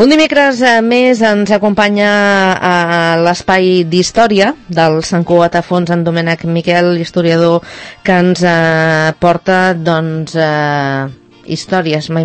Un dimecres més ens acompanya a l'espai d'història del Sant Cugat a Fons en Domènec Miquel, historiador, que ens porta, doncs, històries, mai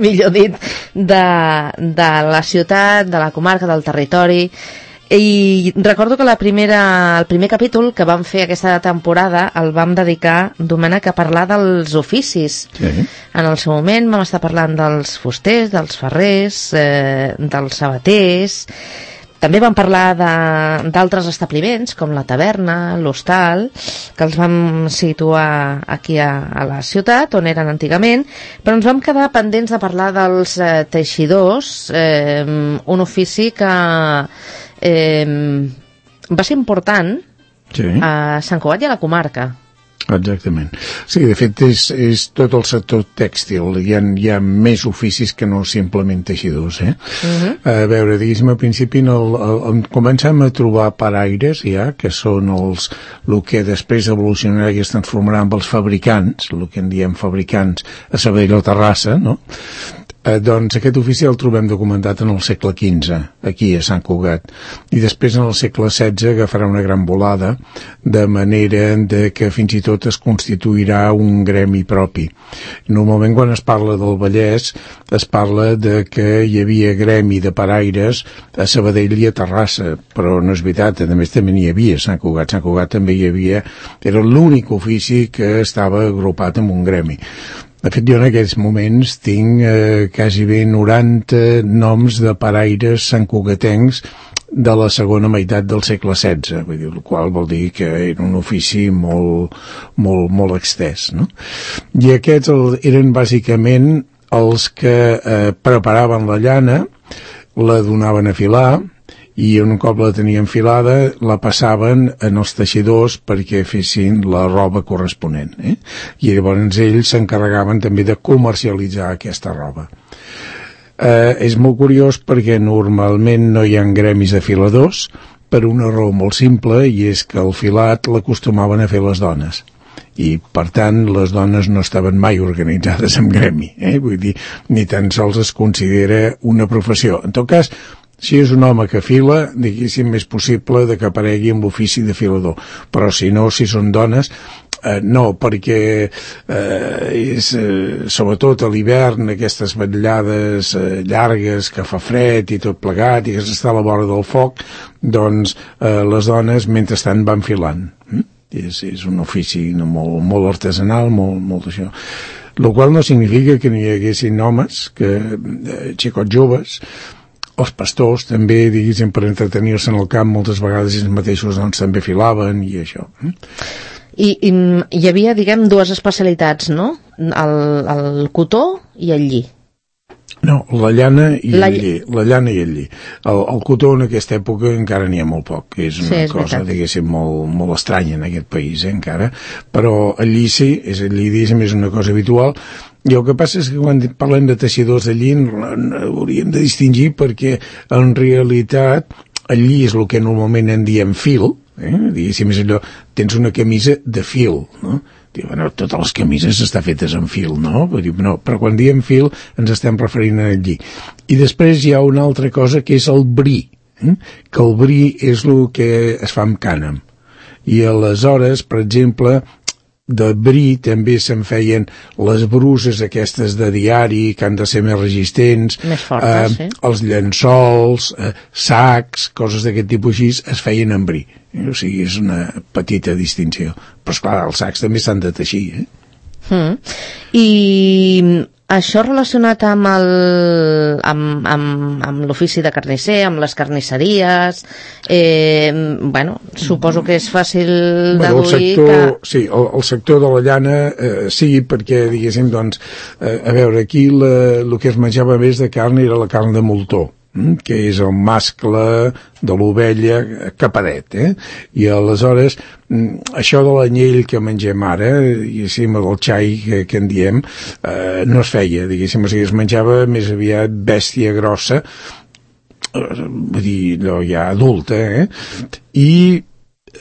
millor dit, de la ciutat, de la comarca, del territori. I recordo que el primer capítol que vam fer aquesta temporada el vam dedicar, Domènec, a parlar dels oficis. Sí. En el seu moment vam estar parlant dels fusters, dels ferrers, dels sabaters. També vam parlar d'altres establiments, com la taverna, l'hostal, que els vam situar aquí a la ciutat, on eren antigament, però ens vam quedar pendents de parlar dels teixidors, un ofici que va ser important a Sant Cugat i a la comarca. Exactament. Sí, de fet és tot el sector tèxtil. Hi ha més oficis que no simplement teixidors, A veure, diguéssim, al principi comencem a trobar paraires ja, que són el que després evolucionarà i es transformarà amb els fabricants, el que en diem fabricants a Sabadell o Terrassa, no? Doncs aquest ofici el trobem documentat en el segle XV, aquí a Sant Cugat, i després en el segle XVI agafarà una gran volada, de manera que fins i tot es constituirà un gremi propi. Normalment quan es parla del Vallès es parla de que hi havia gremi de paraires a Sabadell i a Terrassa, però no és veritat, a més també n'hi havia a Sant Cugat. Sant Cugat també hi havia, era l'únic ofici que estava agrupat en un gremi. De fet, jo en aquests moments tinc quasi bé 90 noms de paraires santcugatencs de la segona meitat del segle XVI, vull dir, el qual vol dir que era un ofici molt extès, no? I aquests eren bàsicament els que preparaven la llana, la donaven a filar, i un cop la tenien filada la passaven en els teixidors perquè fessin la roba corresponent, i llavors ells s'encarregaven també de comercialitzar aquesta roba. És molt curiós perquè normalment no hi ha gremis de filadors per una raó molt simple, i és que el filat l'acostumaven a fer les dones, i per tant les dones no estaven mai organitzades en gremi, vull dir, ni tan sols es considera una professió. En tot cas, si és un home que fila, diguéssim, és possible que aparegui amb l'ofici de filador, però si no, si són dones, no, perquè sobretot a l'hivern, aquestes vetllades llargues que fa fred i tot plegat i que s'està a la vora del foc, doncs les dones mentrestant van filant. És un ofici molt artesanal, molt d'això. El qual no significa que no hi haguessin homes, xicots joves, els pastors també, diguéssim, per entretenir-se en el camp, moltes vegades ells mateixos doncs, també filaven i això. I hi havia, diguem, dues especialitats, no? El cotó i el lli. No, la llana i el lli. La llana i el lli. El cotó en aquesta època encara n'hi ha molt poc. És una cosa, diguéssim, molt estranya en aquest país, encara. Però el lli sí, el lli, diguéssim, és una cosa habitual. I el que passa és que quan parlem de teixidors de lli hauríem de distingir, perquè en realitat el lli és el que normalment en diem fil, diguéssim, és allò, tens una camisa de fil, no? Diu, bueno, totes les camises estan fetes en fil, no? Però quan diem fil ens estem referint al lli. I després hi ha una altra cosa que és el bri, que el bri és el que es fa amb cànem. I aleshores, per exemple, de bri també se'n feien les bruses aquestes de diari que han de ser més resistents, més fortes, els llençols, sacs, coses d'aquest tipus així es feien en bri. O sigui, és una petita distinció. Però esclar, els sacs també s'han de teixir, I això relacionat amb l'ofici de carnisser, amb les carnisseries, suposo que és fàcil deduir que... Sí, el sector de la llana, sí, perquè, diguéssim, doncs, a veure, aquí el que es menjava més de carn era la carn de moltó, que és el mascle de l'ovella capadet, i aleshores això de l'anyell que mengem ara, diguéssim, del xai que en diem, no es feia, diguéssim, o sigui, es menjava més aviat bèstia grossa, vull dir, allò ja adulta, i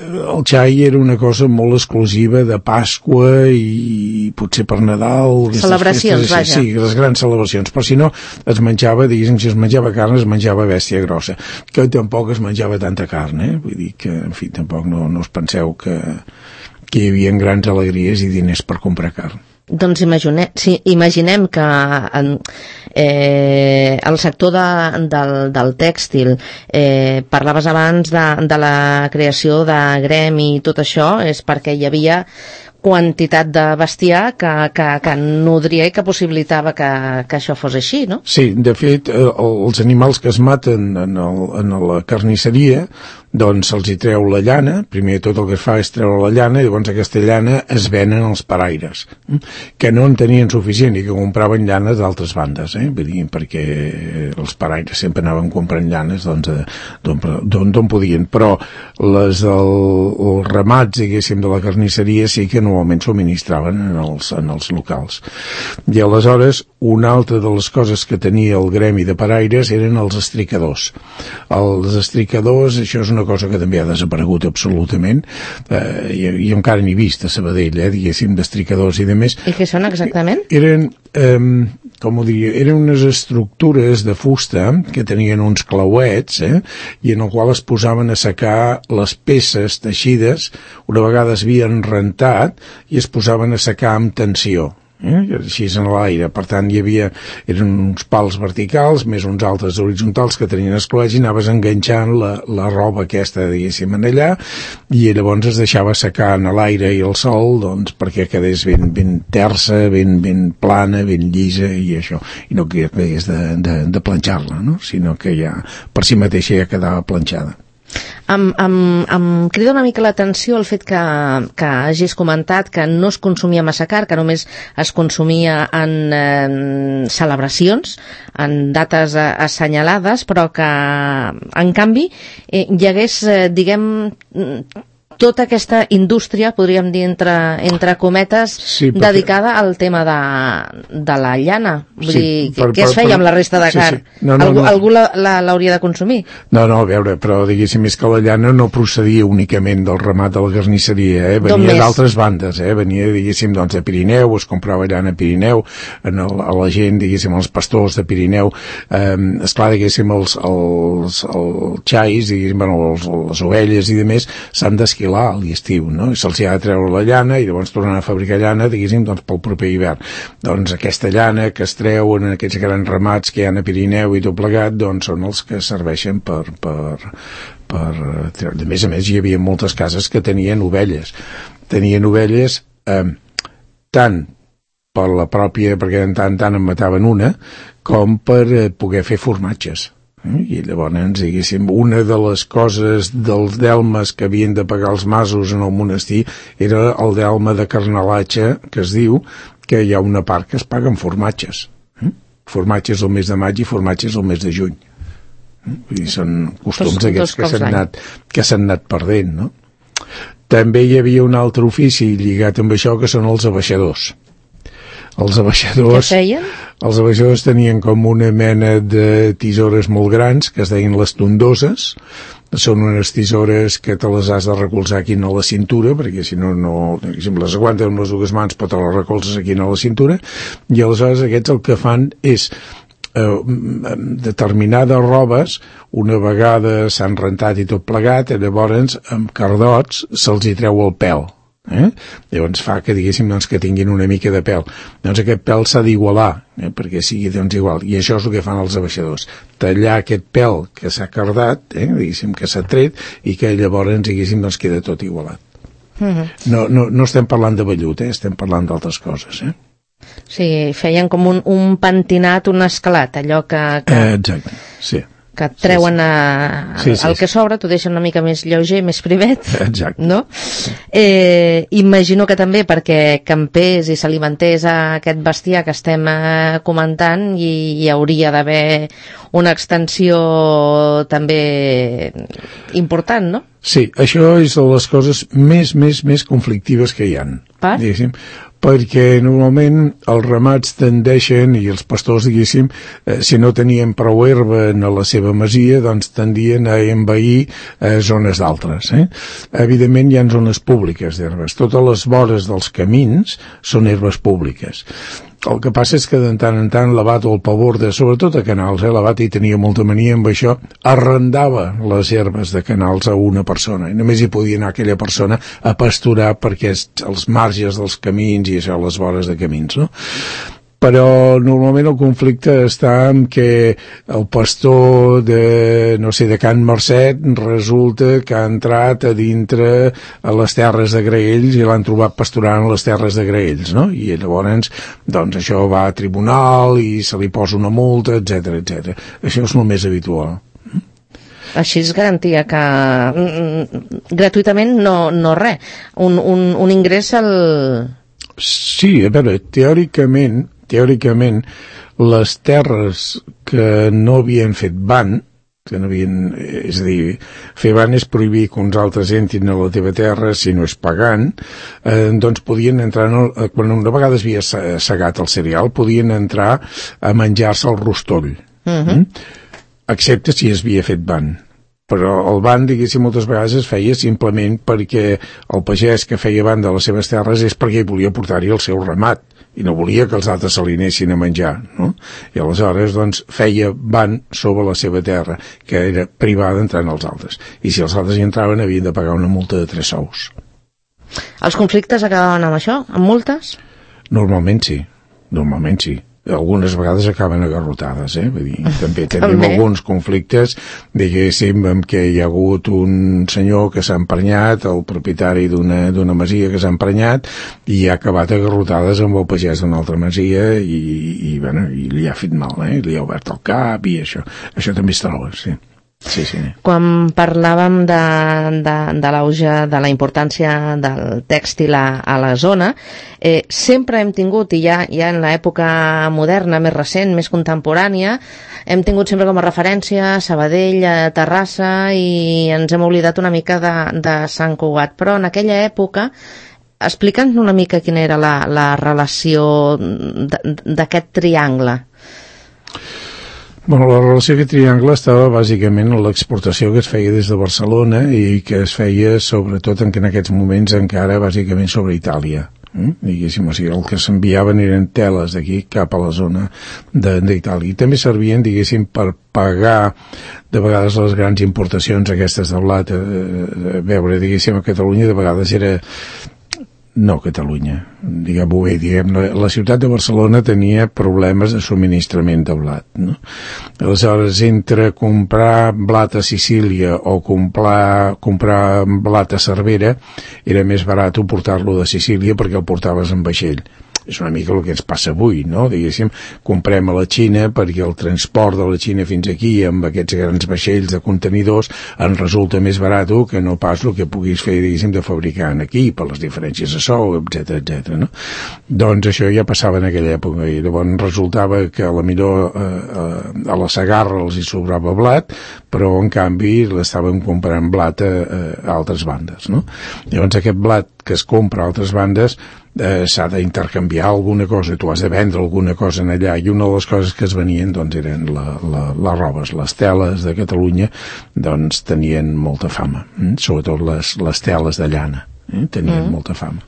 el xai era una cosa molt exclusiva de Pasqua i potser per Nadal. Celebracions, vaja. Sí, les grans celebracions, però si no es menjava, diguéssim, si es menjava carn es menjava bèstia grossa, que tampoc es menjava tanta carn, vull dir que, en fi, tampoc no us penseu que hi havia grans alegries i diners per comprar carn. Doncs imaginem que el sector del tèxtil, parlaves abans de la creació de gremi i tot això, és perquè hi havia quantitat de bestiar que nodria i que possibilitava que això fos així, no? Sí, de fet, els animals que es maten en la carnisseria, doncs se'ls hi treu la llana, primer tot el que es fa és treure la llana, i llavors aquesta llana es venen als paraires, que no en tenien suficient i que compraven llanes d'altres bandes, vull dir, perquè els paraires sempre anaven comprant llanes d'on podien, però les dels ramats, diguéssim, de la carnisseria sí que normalment subministraven en els locals. I aleshores, una altra de les coses que tenia el gremi de paraires eren els estricadors. Els estricadors, això és una cosa que també ha desaparegut absolutament, i encara n'he vist a Sabadell, diguéssim, d'estricadors i de més. I què són exactament? Eren, com ho diria, eren unes estructures de fusta que tenien uns clauets, i en el qual es posaven a secar les peces teixides, una vegada es havien rentat, i es posaven a secar amb tensió. Així en l'aire, per tant eren uns pals verticals més uns altres horitzontals que tenien escloets i anaves enganxant la roba aquesta, diguéssim, en allà, i llavors es deixava secar en l'aire i el sol, doncs perquè quedés ben tersa, ben plana, ben llisa i això, i no que hagués de planxar-la, no? Sinó que ja per si mateixa ja quedava planxada. Em crida una mica l'atenció el fet que hagis comentat que no es consumia massa carn, que només es consumia en celebracions, en dates assenyalades, però que en canvi hi hagués, diguem, tota aquesta indústria, podríem dir entre cometes, sí, dedicada al tema de la llana. Vull dir, què es feia amb la resta de carn? Sí. Algú l'hauria de consumir? No, a veure, però diguéssim, és que la llana no procedia únicament del ramat de la carnisseria, venia d'altres bandes, venia, diguéssim, doncs, de Pirineu, es comprava llana a Pirineu, a la gent, diguéssim, els pastors de Pirineu, esclar, diguéssim, els xais, diguéssim, bueno, les ovelles i demés, s'han d'esquilar a l'estiu, no? I se'ls ha de treure la llana i llavors tornen a fabricar llana, diguéssim, doncs pel proper hivern. Doncs aquesta llana que es treu en aquests grans ramats que hi ha a Pirineu i tot plegat, doncs són els que serveixen per treure. A més, hi havia moltes cases que tenien ovelles. Tenien ovelles tant per la pròpia, perquè en tant en mataven una, com per poder fer formatges. I llavors, diguéssim, una de les coses dels delmes que havien de pagar els masos en el monestir era el delme de carnalatge, que es diu que hi ha una part que es paga en formatges. Formatges el mes de maig i formatges el mes de juny. Vull dir, són costums aquests que s'han anat perdent, no? També hi havia un altre ofici lligat amb això, que són els abaixadors. Els abaixadors... Què feien? Els abaixadors tenien com una mena de tisores molt grans, que es deien les tondoses. Són unes tisores que te les has de recolzar aquí a la cintura, perquè si no, si les aguantes amb les dues mans, però te les recolzes aquí a la cintura, i aleshores aquests el que fan és determinades robes, una vegada s'han rentat i tot plegat, llavors amb cardots se'ls hi treu el pèl. Llavors fa que, diguéssim, doncs, que tinguin una mica de pèl. Doncs aquest pèl s'ha d'igualar, perquè sigui, doncs, igual. I això és el que fan els abaixadors. Tallar aquest pèl que s'ha cardat, diguéssim, que s'ha tret, i que llavors, diguéssim, doncs, queda tot igualat. No estem parlant de vellut, estem parlant d'altres coses, Sí, feien com un pentinat, un escalat, allò que... Exacte, sí. Que et treuen el que sobra, t'ho deixen una mica més lleuger, més privet. Exacte. No? Imagino que també perquè campés i s'alimentés aquest bestiar que estem comentant hi hauria d'haver una extensió també important, no? Sí, això és de les coses més conflictives que hi ha. Per? perquè normalment els ramats tendeixen, i els pastors, diguéssim, si no tenien prou herba a la seva masia, doncs tendien a envair zones d'altres. Evidentment hi ha zones públiques d'herbes. Totes les vores dels camins són herbes públiques. El que passa és que de tant en tant l'abat o el pavor sobretot a Canals, l'abat hi tenia molta mania amb això, arrendava les herbes de Canals a una persona, i només hi podia anar aquella persona a pasturar perquè els marges dels camins i això, les vores de camins, no? Però normalment el conflicte està en que el pastor de Can Marcet resulta que ha entrat a dintre a les terres de Graells i l'han trobat pasturant a les terres de Graells, no? I llavors, doncs això va a tribunal i se li posa una multa, etc etc. Això és el més habitual. Així es garantia que gratuïtament no res, un ingrés al... Sí, a veure, teòricament, les terres que no havien fet ban, que no havien, és a dir, fer ban és prohibir que uns altres entrin a la teva terra si no és pagant, doncs podien entrar, quan una vegada es havia segat el cereal, podien entrar a menjar-se el rostoll, excepte si es havia fet ban. Però el ban, diguéssim, moltes vegades es feia simplement perquè el pagès que feia ban de les seves terres és perquè volia portar-hi el seu ramat i no volia que els altres se li anessin a menjar, no? I aleshores, doncs, feia ban sobre la seva terra, que era privada entrant els altres. I si els altres hi entraven, havien de pagar una multa de 3 sous. Els conflictes acabaven amb això? Amb multes? Normalment sí. Algunes vegades acaben a garrotades, vull dir, també tenim alguns conflictes, diguéssim, en què hi ha hagut un senyor que s'ha emprenyat, el propietari d'una masia que s'ha emprenyat, i ha acabat a garrotades amb el pagès d'una altra masia i li ha fet mal, li ha obert el cap i això també es troba, sí. Sí. Quan parlàvem de l'auge de la importància del tèxtil a la zona, sempre hem tingut, i ja en l'època moderna, més recent, més contemporània, hem tingut sempre com a referència Sabadell, Terrassa, i ens hem oblidat una mica de Sant Cugat. Però en aquella època, explica'ns una mica quina era la relació d'aquest triangle. Bueno, la relació d'aquest triangle estava bàsicament en l'exportació que es feia des de Barcelona i que es feia sobretot en aquests moments encara bàsicament sobre Itàlia. Diguéssim, o sigui, el que s'enviaven eren teles d'aquí cap a la zona d'Itàlia. I també servien, diguéssim, per pagar de vegades les grans importacions aquestes de blat. A veure, diguéssim, a Catalunya de vegades era... No, Catalunya, diguem-ho bé, la ciutat de Barcelona tenia problemes de subministrament de blat, no? Aleshores, entre comprar blat a Sicília o comprar blat a Cervera, era més barat portar-lo de Sicília perquè el portaves en vaixell. És una mica el que ens passa avui, no? Diguéssim, comprem a la Xina perquè el transport de la Xina fins aquí amb aquests grans vaixells de contenidors ens resulta més barat que no pas el que puguis fer, diguéssim, de fabricar aquí per les diferències de sou, etc, no? Doncs això ja passava en aquella època i llavors resultava que a la millor a la Segarra els hi sobrava blat, però en canvi l'estàvem comprant blat a altres bandes, no? Llavors aquest blat que es compra a altres bandes s'ha d'intercanviar alguna cosa, tu has de vendre alguna cosa en allà, i una de les coses que es venien doncs eren les robes, les teles de Catalunya doncs tenien molta fama, sobretot les teles de llana, tenien molta fama.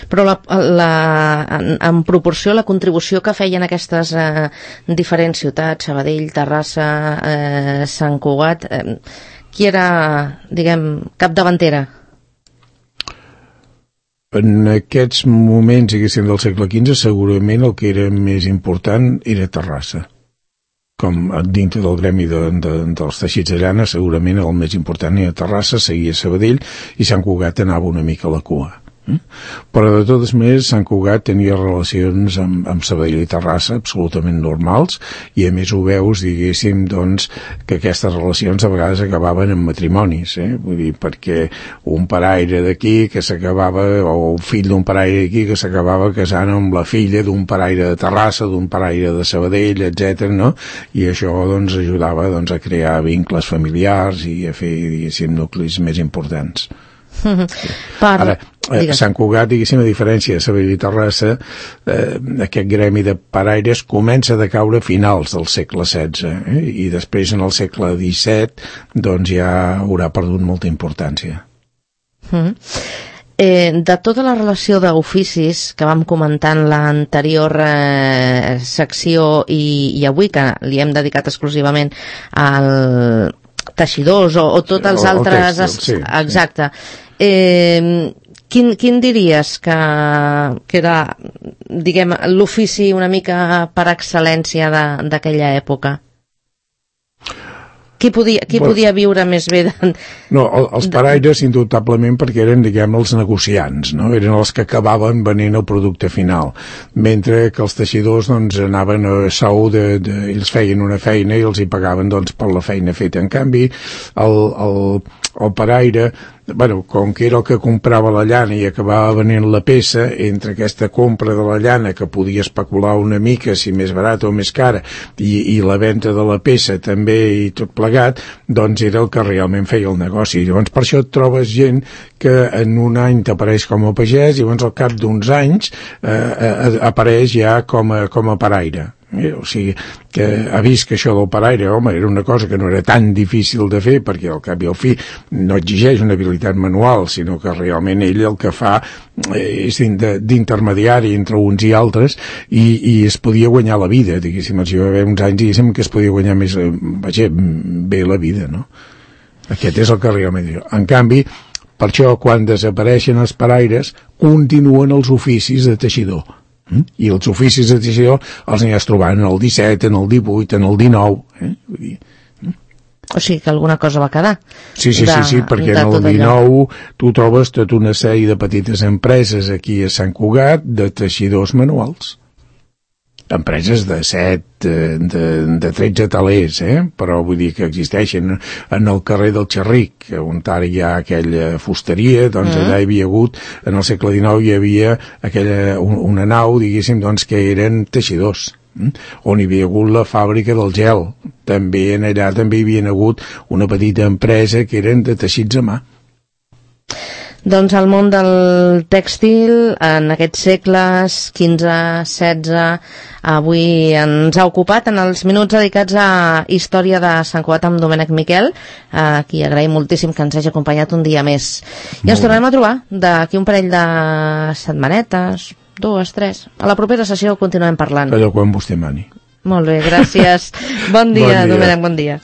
Però en proporció la contribució que feien aquestes diferents ciutats, Sabadell, Terrassa, Sant Cugat, qui era, diguem, capdavantera? En aquests moments, diguéssim, del segle XV, segurament el que era més important era Terrassa. Com dintre del gremi dels teixits de llana, segurament el més important era Terrassa, seguia Sabadell, i Sant Cugat anava una mica a la cua. Però de totes maneres Sant Cugat tenia relacions amb Sabadell i Terrassa absolutament normals, i a més ho veus, diguéssim, doncs, que aquestes relacions a vegades acabaven en matrimonis, vull dir, perquè un paraire d'aquí que s'acabava, o un fill d'un paraire d'aquí que s'acabava casant amb la filla d'un paraire de Terrassa, d'un paraire de Sabadell, etc, no? I això doncs ajudava doncs a crear vincles familiars i a fer, diguéssim, nuclis més importants. Ara, Sant Cugat, diguéssim, a diferència de Sabadell i Terrassa, aquest gremi de paraires comença a decaure a finals del segle XVI, i després en el segle XVII doncs ja haurà perdut molta importància. De tota la relació d'oficis que vam comentar en l'anterior secció i avui, que li hem dedicat exclusivament al teixidors o tots els altres... tèxtil, sí. Exacte. Quin diries que era, diguem, l'ofici una mica per excel·lència d'aquella època? Qui podia viure més bé? No, els paraires, indubtablement, perquè eren, diguem, els negociants, no? Eren els que acabaven venent el producte final, mentre que els teixidors, doncs, anaven a sou ells feien una feina i els hi pagaven, doncs, per la feina feta. En canvi, el paraire, bueno, com que era el que comprava la llana i acabava venent la peça, entre aquesta compra de la llana, que podia especular una mica, si més barata o més cara, i la venda de la peça també i tot plegat, doncs era el que realment feia el negoci. Llavors, per això et trobes gent que en un any t'apareix com a pagès i llavors al cap d'uns anys apareix ja com a paraire. O sigui, que ha vist que això del paraire, home, era una cosa que no era tan difícil de fer, perquè al cap i al fi no exigeix una habilitat manual, sinó que realment ell el que fa és d'intermediari entre uns i altres, i es podia guanyar la vida, diguéssim, els hi va haver uns anys, diguéssim, que es podia guanyar més, bé la vida, no? Aquest és el que realment diu. En canvi, per això, quan desapareixen els paraires, continuen els oficis de teixidor. I els oficis de teixidor els aniràs trobant en el 17, en el 18, en el 19. Vull dir. O sigui que alguna cosa va quedar. Sí, perquè en el 19 tu trobes tota una sèrie de petites empreses aquí a Sant Cugat de teixidors manuals. Empreses de 7, de 13 talers, però vull dir que existeixen en el carrer del Xerric, on ara hi ha aquella fusteria, doncs allà hi havia hagut, en el segle XIX hi havia una nau, diguéssim, doncs que eren teixidors, on hi havia hagut la fàbrica del gel, també allà també hi havia hagut una petita empresa que eren de teixits a mà. Doncs el món del tèxtil en aquests segles XV, XVI, avui ens ha ocupat en els minuts dedicats a Història de Sant Cugat amb Domènec Miquel, a qui agraïm moltíssim que ens hagi acompanyat un dia més. I ens tornarem a trobar d'aquí un parell de setmanetes, 2, 3. A la propera sessió continuem parlant. Allò quan vostè mani. Molt bé, gràcies. Bon dia, Domènec, bon dia.